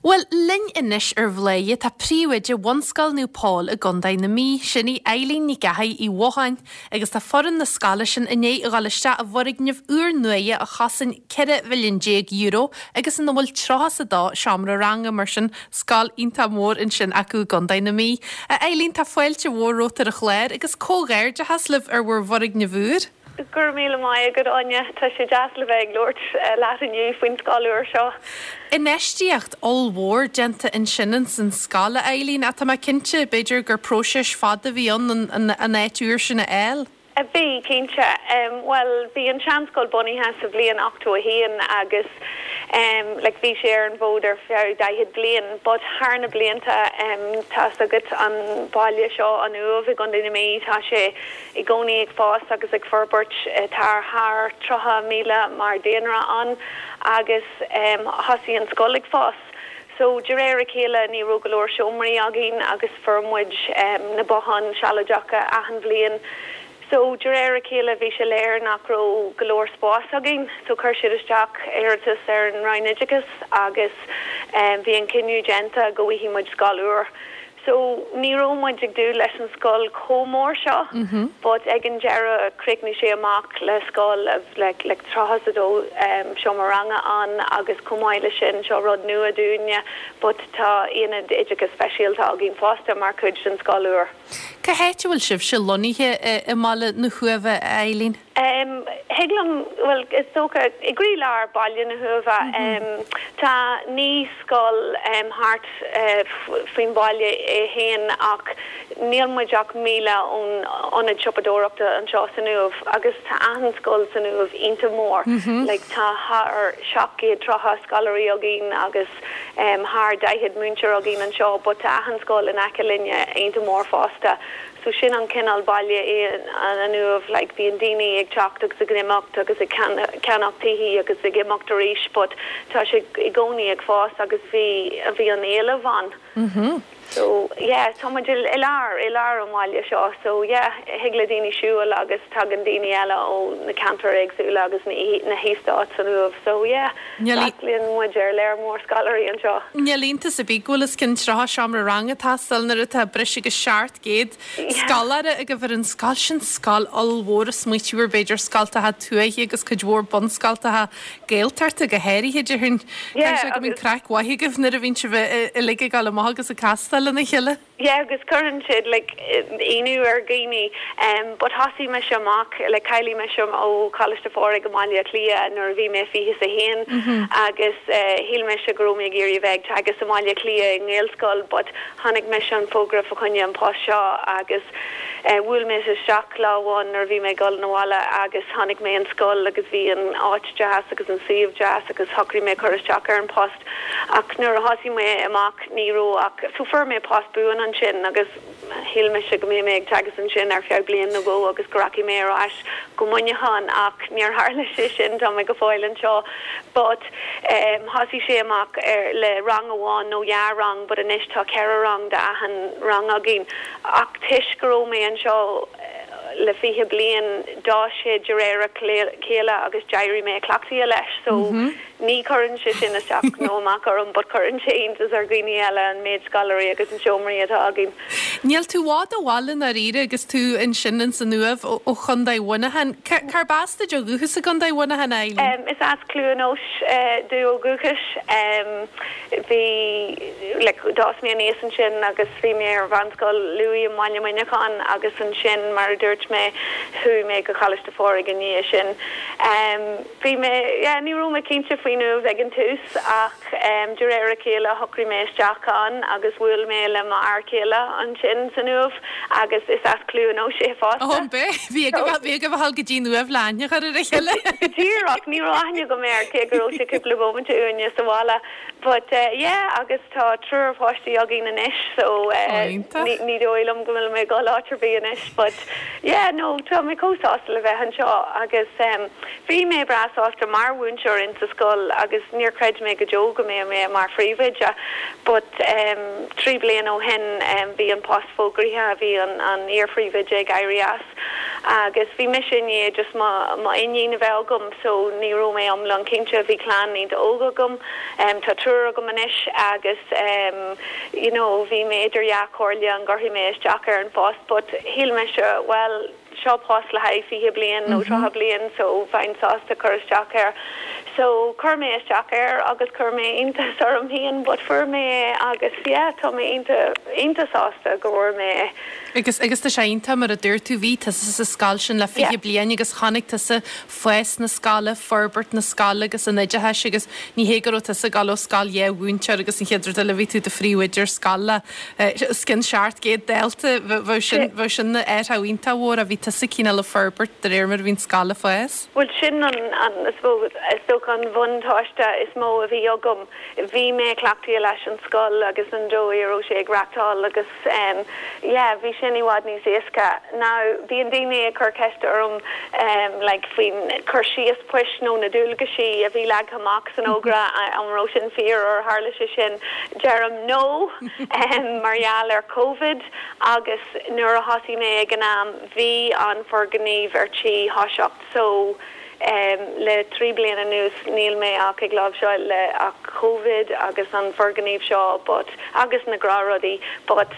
Bhuel, linn anois ar Bhladhaire tá príomhoide Bhunscoil Naomh Pól i gContae na Mí, sin í Eileen Nic Eachaidh Uí Mhocháin, agus tá foireann na scoile sin i ndiaidh a dhul isteach i bhfoirgneamh úr nuaidhe a chosain €14 mhilliún agus ina bhfuil 32 seomra ranga, mar sin scoil iontach mór ansin acu i gContae na Mí. A Eileen, tá fáilte mhór romhat ar an chlár agus comhghairdeachas libh ar bhur bhfoirgneamh úr. Go raibh míle maith agat, Áine. Tá sé deas le bheith ag labhairt leat inniu faoin scoil úr seo. Infheistíocht ollmhór déanta ansin ins an scoil, a Eileen, ach tá mé cinnte, b'fhéidir gur próiseas fada a bhí ann an áit úr sin a fháil. Bhí, cinnte. Bhuel, bhí an seanscoil bunaithe sa bhliain 81 agus like bhí sé ar an bhfód ar feadh 40 bliain but thar na blianta tá's agat an baile seo, an Uaimh i gContae na Mí, tá sé i gcónaí ag fás agus ag forbairt. Tá thar 30,000 mar daonra ann agus thosaigh an scoil ag fás. So de réir a chéile ní raibh go leor seomraí againn agus fuair muid na botháin sealadacha achan bhliain. So de réir a chéile bhí sé léir nach raibh go leor spás againn so chuir siad isteach iarratas ar an Roinn Oideachais agus bhí an cinneadh déanta go bhfaighidh muid scoil úr. So, ní raibh muid ag dúil leis an scoil chomh mór seo, but ag an deireadh chríochnaigh sé amach le scoil like like 32 seomra ranga ann agus chomh maith le sin, seo rud nua dúinne, but tá aonad oideachais speisialta againn fosta mar chuid den scoil úr. Cá háit a bhfuil sibhse lonnaithe i mbaile na hUaimhe, a Eileen? Thig liom, bhuel, is dócha, i gcroílár baile na hUaimhe. Tá naíscoil thart faoin bhaile é féin ach níl muid ach míle ón ionad siopadóireachta anseo san Uaimh agus tá achan scoil san Uaimh iontach mór. Like tá thar 730 scoláirí againn agus thar 40 múinteoir againn anseo but tá achan scoil in aice linne iontach mór fosta. So sin an cineál baile é an Uaimh, like bíonn daoine ag teacht agus ag imeacht agus ag ceannach tithe agus ag imeacht arís but tá sé i gcónaí ag fás agus bhí, bhí an éileamh ann. So yeah, tá muid i lár, i lár an bhaile seo so yeah, thig le daoine siúl agus tagann daoine eile ó na ceantair éagsúla agus na heastáit san Uaimh so yeah, freastalaíonn muid ar léar mór scoláirí anseo. Níl iontas ar bith go bhfuil os cionn 30 seomra ranga ag teastáil nuair atá breis agus 700 scoláire agaibh ar an scoil. Sin scoil ollmhór ag smaoitiú ar b'fhéidir scoltacha tuaithe agus cuid mhór bunscoltacha Gaeltachta go háirithe, déarfainn. Caithfidh sé go mbíonn craic mhaith agaibh nuair a bhíonn sibh uilig ag dul amach agus ag castáil lena chéile. Yeah agus cuireann siad like ionadh ar dhaoine em but thosaigh mise amach like cháiligh mise ó Choláiste Phádraig i mBaile Átha Cliath nuair a bhí mé fiche is a haon agus eh shíl mise go raibh mé ag iarraidh a bheith ag teagasc i mBaile Átha Cliath i nGaelscoil but chonaic mise an fógra fá choinne an post seo agus eh bhuail mé isteach lá amháin nuair a bhí mé ag dul 'na bhaile agus chonaic mé an scoil agus bhí an áit deas agus an suíomh deas agus shocraigh mé cur isteach ar an post ach nuair a thosaigh mé amach ní raibh ach, so fuair mé post buan ansin agus shíl mise go mbeidh mé ag teagasc ansin ar feadh bliain nó dhó agus go rachaidh mé ar ais go Muineachán ach níor tharla sé sin, tá mé go fóill anseo. But em thosaigh sé amach ar, le rang amháin nó dhá rang but anois tá ceithre rang d'achan rang againn ach toisc go raibh mé anseo le 20 bliain d'fhás sé de réir a chéile agus d'éirigh mé cleachtaithe leis so Ní chuireann sé sin isteach nó amach orm but cuireann sé iontas ar dhaoine eile an méid scoláirí agus an seomraí atá againn. Níl tú i bhfad ó bhaile i ndáiríre agus tú ansin ins an Uaimh ó Chondae Mhuineacháin. Cárb as duit ó dhúchas i gCondae Mhuineacháin, a Eileen? Is as Cluain Eois domh ó dhúchas. Bhí, like, d'fhás mé aníos ansin agus bhí mé ar Mheánscoil Lughaidh i mBaile Muineacháin agus ansin, mar a dúirt mé, chuaigh mé go Coláiste Phádraig i ndiaidh sin. Bhí mé, yeah, ní raibh mé cinnte faoin Uaimh ag an tús ach de réir a chéile shocraigh mé isteach ann agus bhuail mé le m'fhear céile ansin san Uaimh agus is as Cluain Eois é fosta. Ó, an b'ea? Bhí agaibh, bhí agaibh a dhul go dtí an Uaimh le aithne a chur ar a chéile. Go díreach, ní raibh aithne agam air cé go raibh sé cúpla bomaite uainne sa bhaile but yeah agus tá triúr páistí againn anois so ní dóigh liom go bhfuil mé ag dul áit ar bith anois but Yeah, no, tá mé chomh sásta le bheith anseo agus bhí mé breá sásta mar mhúinteoir in sa scoil agus níor chreid mé go deo go mbeadh mé mar phríomhoide but 3 bliana ó shin bhí an post fógraithe, bhí an an iar-phríomhoide ag éirí as. Agus bhí mise i ndiaidh just mo mo iníon a bheith agam so ní raibh mé iomlán cinnte, bhí clann iontach óg agam, tá triúr agam anois agus you know bhí mé idir dhá chomhairle an gcuirfidh mé isteach ar an phost but shíl mise bhuel seo post le haghaidh 20 bliain nó 30 bliain so bheinn sásta cur isteach air. So chuir mé isteach air agus chuir mé iontas orm féin but fuair mé é agus yeah tá mé iontach iontach sásta go bhfuair mé é. Agus agus tá sé iontach mar a dúirt tú bhí tusa sa scoil sin le 20 bliain agus chonaic tusa fás na scoile, forbairt na scoile agus an oideachais agus ní hé go raibh tusa ag dul ó scoil dhá mhúinteoir agus an chéad rud eile bhí tú i do phríomhoide ar scoil le os cionn 700 dalta, bheadh sin, bheadh sin ina athrú iontach mhór ach bhí tusa cineál ag forbairt de réir mar a bhí an scoil ag fás. Bhuel sin an, an, I suppose, is dócha an bhuntáiste is mó a bhí agam. Bhí mé cleachtaithe leis an scoil agus an dóigh a raibh sé ag reachtáil agus em yeah bhí sin i bhfad níos éasca. Now bíonn daoine ag cur ceiste orm em like faoin cur síos poist nó na dualgaisí a bhí leagtha amach san fhógra an raibh sin fíor ar tharla sé sin. Deirim no em mar gheall ar Covid agus nuair a thosaigh mé ag an am bhí an foirgneamh ar tí thoiseacht so Le 3 bliana anuas níl mé ach ag láimhseáil le ach Covid agus an foirgneamh seo but agus na gnáthrudaí but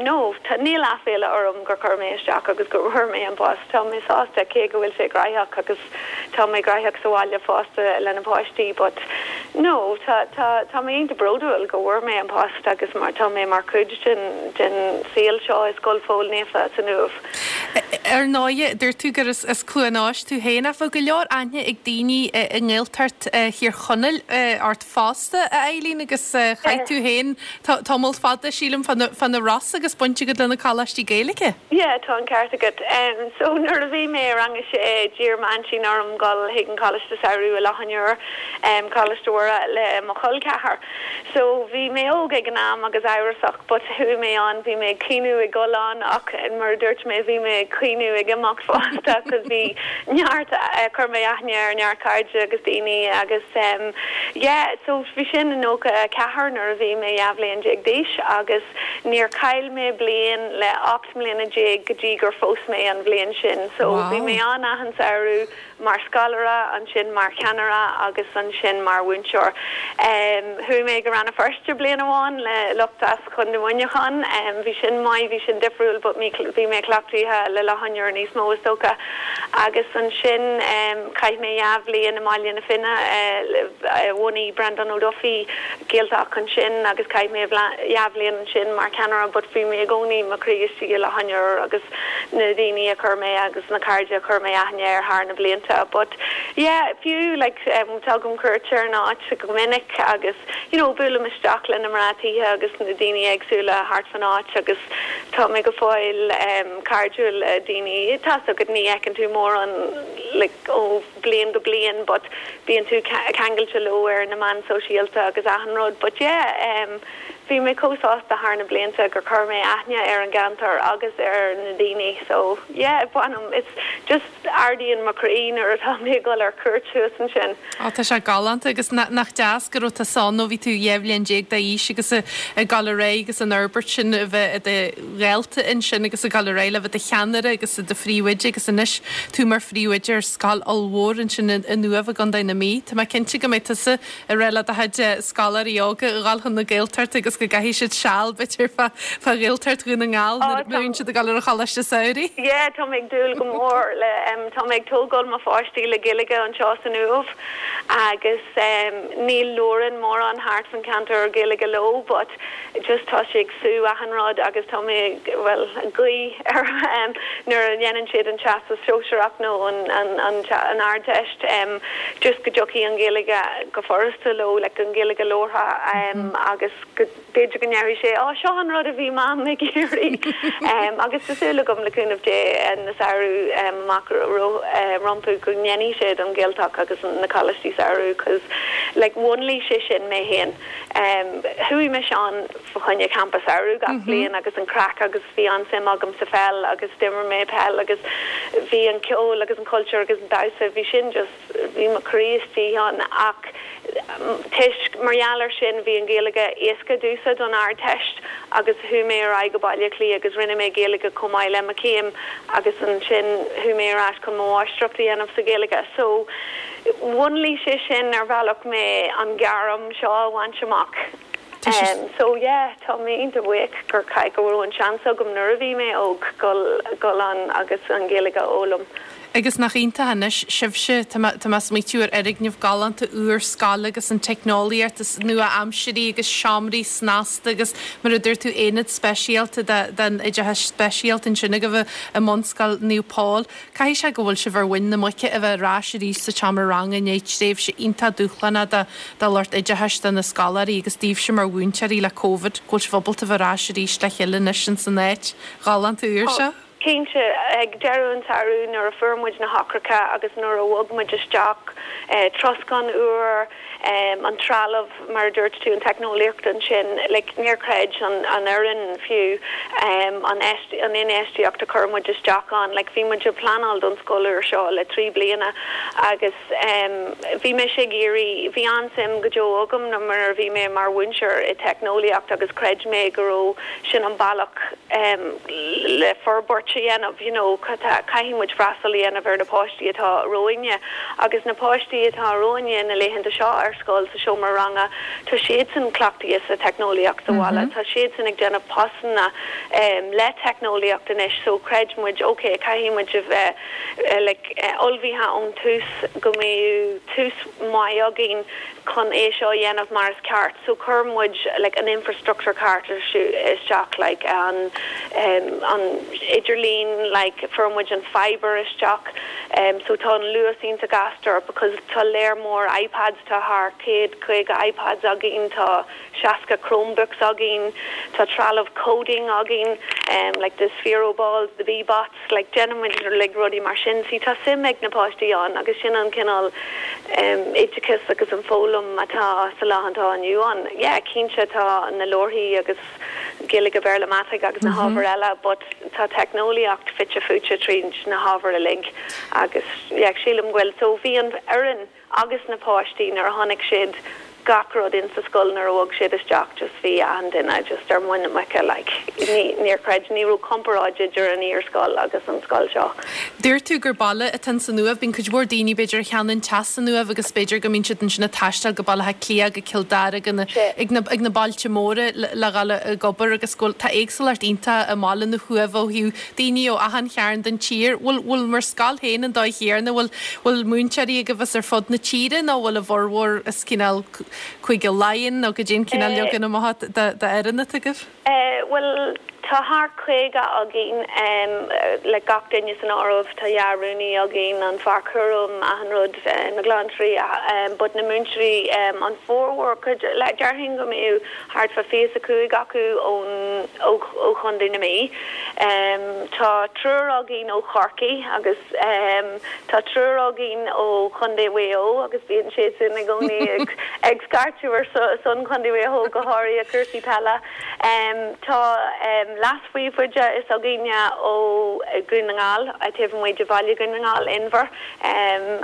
no tá níl aiféala orm gur chuir mé isteach agus go bhfuair mé an post. Tá mé sásta cé go bhfuil sé graitheach agus tá mé graitheach sa bhaile fosta le na páistí but no tá tá tá mé iontach bródúil go bhfuair mé an post agus mar tá mé mar chuid den den saol seo i Scoil Phóil Naofa san Uaimh. Ar ndóighe, dúirt tú gur as Cluain Eois tú féin, ach bheadh go leor aithne ag daoine i nGaeltacht Thír Chonaill ort fosta, a Eileen, agus chaith tú féin tamall fada, sílim, fá na Rosa agus baint agat le na coláistí Gaeilge. Yeah, tá an ceart agat. So nuair a bhí mé i rang a sé, d'iarr m'aintín orm dul chuig an Choláiste Samhraidh i Loch an Iúir, Coláiste Mhuire, le mo chol ceathar. So bhí mé óg ag an am agus amhrasach but chuaigh mé ann, bhí mé ag caoineadh ag dul ann ach mar a dúirt mé bhí mé ag caoineadh ag imeacht fosta cos bhí neart, chuir mé aithne ar neart cairde agus daoine agus em yeah so bhí sin i 94 nuair a bhí mé 12 bhliain d'aois agus níor chaill mé bliain le 18 mbliana go dtí gur phós mé an bhliain sin so bhí mé ann achan samhradh mar scoláire, ansin mar cheannaire agus ansin mar mhúinteoir. Chuaigh mé go Rann na Feirste bliain amháin le lucht as Contae Mhuineacháin. Bhí sin maith, bhí sin difriúil but bhí mé cleachtaithe le Loch an Iúir níos mó is dócha. Agus ansin chaith mé dhá bhliain i mBaile na Finne, bhunaigh Breandán Ó Dufaigh Gaeltacht ansin agus chaith mé dhá bhliain ansin mar cheannaire but bhí mé i gcónaí mo chroí istigh i Loch an Iúir agus na daoine a chuir mé agus na cairde a chuir mé aithne air thar na blianta but yeah fiú like tugaim cuairt ar an áit go minic agus you know buailim isteach le na mná tithe agus na daoine éagsúla thart fan áit agus tá mé go fóill cairdiúil le daoine tá's agat ní fheiceann tú mórán like ó bliain go bliain but bíonn tú ceangailte leo ar na meáin sóisialta agus achan rud but yeah Bhí mé chomh sásta thar na blianta gur chuir mé aithne ar an gceantar agus ar na daoine so yeah bainim, it's just ardaíonn mo chroí nuair atá mé ag dul ar cuairt thuas ansin. Á tá sé galánta agus nach deas go raibh tusa ann ó bhí tú 12 bhliain d'aois agus ag dul ar aghaidh agus an fhorbairt sin a bheith i do dhalta ansin agus ag dul ar aghaidh le bheith i do cheannaire agus i do phríomhoide agus anois tú mar phríomhoide ar scoil ollmhór ansin in Uaimh i gContae na Mí. Tá mé cinnte go mbeidh tusa ag rá le do chuid scoláirí óga a dhul chun na Gaeltachta agus go gcaithfidh siad seal b'fhéidir fá Ghaeltacht Dhún na nGall nuair a bhíonn siad ag dul ar an choláiste samhraidh. Yeah, tá mé ag dúil go mór le, tá mé ag tógáil mo pháistí le Gaeilge anseo san Uaimh agus níl labhrann mórán thart fan ceantar ar Gaeilge leo but just tá sé ag sú achan rud agus tá mé ag, bhuel, ag guí ar nuair a dhéanann siad an Teastas Sóisearach nó an, an, an, an Ardteist just go dtiocfaidh an Ghaeilge go furasta leo, like an Ghaeilge labhartha agus go, b'fhéidir go ndéarfaidh sé, á seo an rud a bhí Mam ag iarraidh agus tá súil agam le cúnamh Dé na samhradh amach rompu go ndéanfaidh siad an Ghaeltacht agus na coláistí samhraidh cos like mhúnlaigh sé sin mé féin. Chuaigh mise ann fá choinne campa samhraidh gach bliain agus an craic agus bhí an-suim agam sa pheil agus d'imir mé peil agus bhí an ceol agus an cultúr agus an damhsa, bhí sin just, bhí mo chroí istigh ann ach toisc, mar gheall ar sin bhí an Ghaeilge éasca domhsa don Ardteist. agus chuaigh mé ar aghaidh go Baile Átha Cliath agus rinne mé Gaeilge chomh maith le mo chéim agus ansin chuaigh mé ar ais chun mo mháistreacht a dhéanamh sa Ghaeilge. So mhúnlaigh sé sin ar bhealach mé an gairm seo a bhaint amach. So yeah, tá mé iontach buíoch gur go raibh an seans agam nuair a bhí mé óg dul dul ann agus an Ghaeilge a fhoghlaim. Agus nach iontach anois sibhse, tá mé, tá mé ag smaoitiú ar fhoirgneamh galánta úr scoile agus an teicneolaíocht is nua-aimsirí agus seomraí snasta agus mar a dúirt tú aonad speisialta don oideachas speisialta ansin agaibh i mBunscoil Naomh Pól. Caithfidh sé go bhfuil sibh ar mhuin na muice a bheith ar ais arís sa tseomra ranga i ndiaidh tréimhse iontach dúshlánach do, do lucht oideachais, do na scoláirí agus daoibhse mar mhúinteoirí le Covid, go bhfuil sibh ábalta bheith ar ais arís le chéile anois ins an áit ghalánta úr seo. Cinnte, ag deireadh an tsamhraidh nuair a fuair muid na heochracha agus nuair a bhog muid isteach, troscán úr, an trealamh, mar a dúirt tú, an teicneolaíocht ansin, like níor chreid an fhoireann fiú an an infheistíocht a chuir muid isteach ann. Like bhí muid ag pleanáil don scoil úr seo le 3 bliana agus bhí mise ag iarraidh, bhí an-suim go deo agam nuair a bhí mé mar mhúinteoir i teicneolaíocht agus chreid mé go raibh sin an bealach le forbairt a dhéanamh, you know, caithfidh muid freastal a dhéanamh ar na páistí atá romhainne agus na páistí atá romhainne na laethanta seo ar scoil sa seomra ranga, tá siadsan cleachtaithe sa teicneolaíocht sa bhaile, tá siadsan ag déanamh postanna le teicneolaíocht anois so chreid muid ok caithfidh muid a bheith like ullmhaithe ón tús go mbeadh tús maith againn chun é seo a dhéanamh mar is ceart so chuir muid like an infrastructure ceart isteach like an an idirlíon like fuair muid an fibre isteach so tá an luas iontach gasta because tá léar mór iPads tá thar 150 iPads againn tá 60 Chromebooks againn tá trealamh coding againn like the Sphero balls the Bee-Bots like déanaimid like rudaí mar sin see tá suim ag na páistí ann agus sin an cineál em oideachas agus an foghlaim atá sa lá atá inniu ann. Yeah cinnte tá na leabharthaí agus Gaeilge Béarla Mataic agus na hábhair eile but tá teicneolaíocht fite fuaite tríd na hábhair uilig agus yeah sílim go bhfuil so bhí an fhoireann agus na páistí nuair a chonaic siad gach rud in sa scoil nuair a bhog siad isteach just bhí achan duine just ar muin na muice like ní níor chreid ní raibh comparáid idir an iarscoil agus an scoil seo. Dúirt tú gur baile atá in san Uaimh. Bíonn cuid mhór daoine b'fhéidir a cheannaíonn teach san Uaimh agus b'fhéidir go mbíonn siad ansin ag taisteal go Baile Átha Cliath, go Cill Dara, go na ag na ag na bailte móra le le dhul ag obair agus go bhfuil tá éagsúlacht iontach i mbaile na hUaimhe ó thaobh daoine ó achan chearn den tír. Bhfuil, bhfuil bhur scoil féin an dóigh chéanna? Bhfuil, bhfuil múinteoirí agaibh as ar fud na tíre nó bhfuil a bhformhór as cineál Cúige Laighean nó goidé an cineál leagan amach d'fhoireann atá agaibh? Bhuel, tá thart 50 againn, le gach duine san áireamh. Tá dhá rúnaí againn, an fear cúraim, achan rud, na glantóirí, but na múinteoirí, an formhór, cuid, déarfainn go mbeadh thart fá 25 acu ón ó Chontae na Mí. Tá triúr againn ó Chorcaigh agus tá triúr againn ó Chontae Mhaigh Eo agus bíonn siadsan i gcónaí ag ag scairteadh ar son Chontae Mhaigh Eo, go háirithe cúrsaí peile. Tá leas-phríomhoide s'againne ó Dhún na nGall, taobh amuigh de bhaile Dhún na nGall, Inbhear,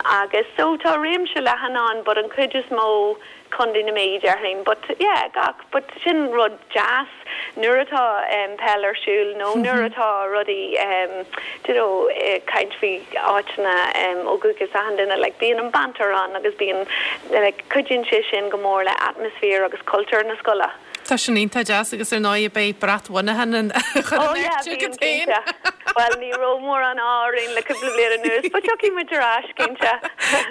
agus so tá réimse leathan ann but an chuid is mó Contae na Mí, déarfainn. But yeah, gach, but sin rud deas nuair atá peil ar siúl nó nuair atá rudaí do you know caint faoi áiteanna ó dhúchas achan duine, like bíonn an banter ann agus bíonn like cuidíonn sé sin go mór le atmaisféar agus cultúr na scoile. Tá sin iontach deas agus ar ndóigh beidh brat Mhuineacháin á chur in airde agat féin. Bhuel, ní raibh mórán ádh orainn le cúpla bliain anuas, but tiocfaidh muid ar ais, cinnte.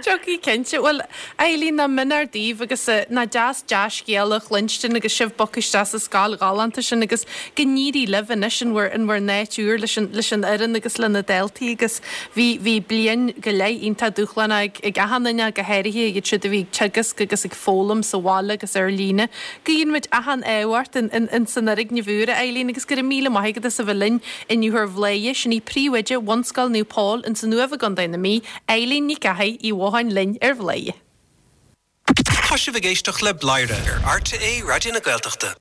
Tiocfaidh, cinnte. Bhuel, Eileen, nach mionúr daoibh agus nach deas dea-scéala a chluinstin agus sibh bogtha isteach sa scoil ghalánta sin agus go n-éirí libh anois in bhur in bhur n-áit úr leis an leis an fhoireann agus le na daltaí agus bhí bhí bliain go leith iontach dúshlánach ag ag achan duine go háirithe iad siúd a bhí ag teagasc agus ag foghlaim sa bhaile agus ar líne. Guíonn muid achan ádh ort in san fhoirgneamh úr, a Eileen, agus go raibh míle maith agat as a bheith linn inniu ar Bhladhaire. Sin í príomhoide Bhunscoil Naomh Pól in san Uaimh i gContae na Mí, Eileen Nic Eachaidh Uí Mhotháin linn ar Bhladhaire. Tá sibh ag éisteacht le Bladhaire ar RTÉ Raidió na Gaeltachta.